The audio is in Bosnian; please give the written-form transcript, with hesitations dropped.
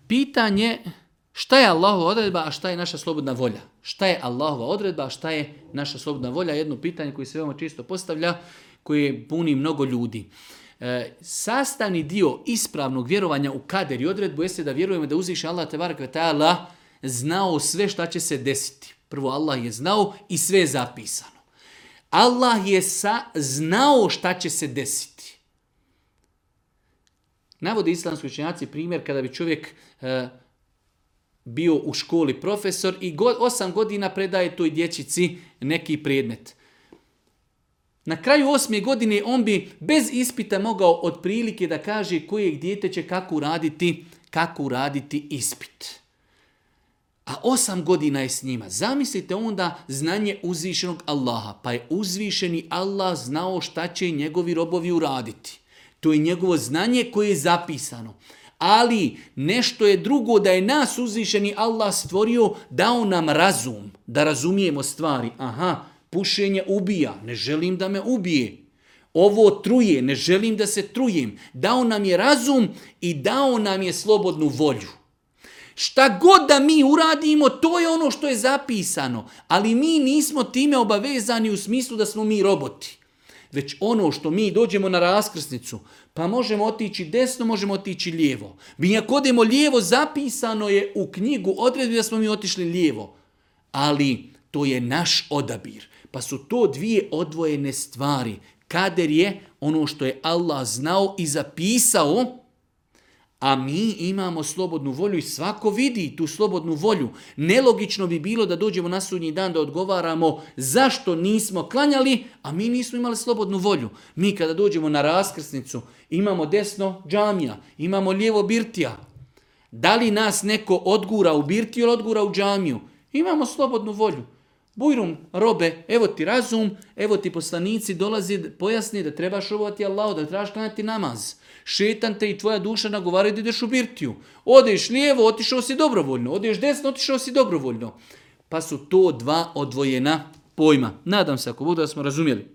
Pitanje šta je Allahova odredba, a šta je naša slobodna volja? Šta je Allahova odredba, a šta je naša slobodna volja? Jedno pitanje koje se veoma često postavlja, koje puni mnogo ljudi. Sastavni dio ispravnog vjerovanja u kader i odredbu jeste da vjerujemo da uzviše Allah tebarek ve taala znao sve šta će se desiti. Prvo, Allah je znao i sve je zapisano. Allah je znao šta će se desiti. Navode islamski učenjaci primjer kada bi čovjek bio u školi profesor i 8 godina predaje toj dječici neki predmet. Na kraju 8. godine on bi bez ispita mogao otprilike da kaže kojeg dijete će kako uraditi ispit. A 8 godina je s njima. Zamislite onda znanje uzvišenog Allaha. Pa je uzvišeni Allah znao šta će njegovi robovi uraditi. To je njegovo znanje koje je zapisano. Ali nešto je drugo da je nas uzvišeni Allah stvorio, dao nam razum, da razumijemo stvari. Aha, pušenje ubija, ne želim da me ubije. Ovo truje, ne želim da se trujem. Dao nam je razum i dao nam je slobodnu volju. Šta god da mi uradimo, to je ono što je zapisano. Ali mi nismo time obavezani u smislu da smo mi roboti. Već ono što mi dođemo na raskrsnicu, pa možemo otići desno, možemo otići lijevo. Mi ako odemo lijevo, zapisano je u knjigu odredbi da smo mi otišli lijevo. Ali to je naš odabir. Pa su to dvije odvojene stvari. Kader je ono što je Allah znao i zapisao, a mi imamo slobodnu volju i svako vidi tu slobodnu volju. Nelogično bi bilo da dođemo na sudnji dan da odgovaramo zašto nismo klanjali, a mi nismo imali slobodnu volju. Mi kada dođemo na raskrsnicu imamo desno džamija, imamo lijevo birtija. Da li nas neko odgura u birtiju ili odgura u džamiju? Imamo slobodnu volju. Bujrum, robe, evo ti razum, evo ti poslanici dolazi, pojasni da trebaš robovati Allahu, da trebaš klanjati namaz. Šetan te i tvoja duša nagovaraju da ideš u birtiju. Odeš lijevo, otišao si dobrovoljno. Odeš desno, otišao si dobrovoljno. Pa su to dva odvojena pojma. Nadam se ako budu da smo razumjeli.